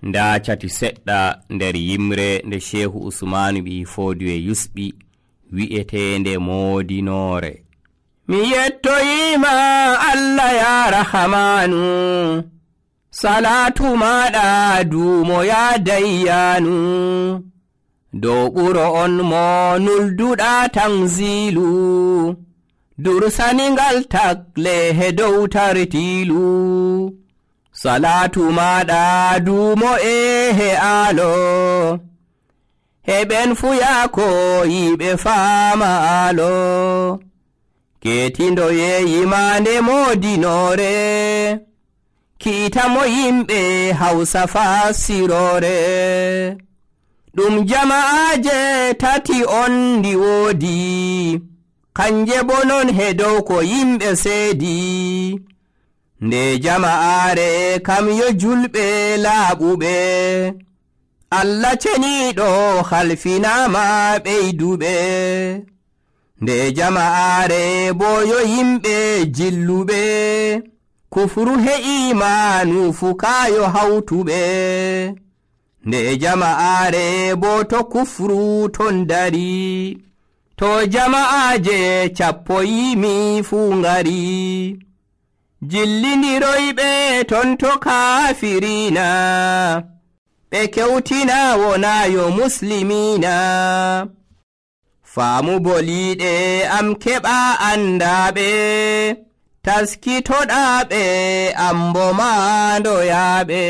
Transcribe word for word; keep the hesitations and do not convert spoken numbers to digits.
nda cati seɗɗa nder yimre nde Shehu Usmanu ɓi Fodiyo yusɓi wi'etende Moodinore. Mi yettoyima Allah ya Rahamanu, salatu maɗa dumo ya Dayyanu, dow ɓuro on mo nulduɗa tanzilu, dursaningal tagle he dow tartilu. Salatu maɗa dumo e he alo, he ɓen fuyako yiɓe faama alo, ketindo yeyimande Moodinore, kiitamo yimɓe Hausa fasirore. Ɗum jama'aje tati on ndi woodi, kanje bo non he dow ko yimɓe seedi. Nde jama'are kam yo julɓe laaɓuɓe, Allah ceniɗo halfinama ɓeyduɓe. Nde jama'are bo yo yimɓe jilluɓe, kufru he imanu fukayo hawtuɓe. Nde jama'are bo to kufru ton dari, to jama'aje cappo yimi fu ngari. Jillindiroyɓe ton to kafirina, ɓe kewtina wonayo muslimina. Faamu boliɗe am keɓa andaɓe, taskitoɗaɓe ambo mandoyaɓe.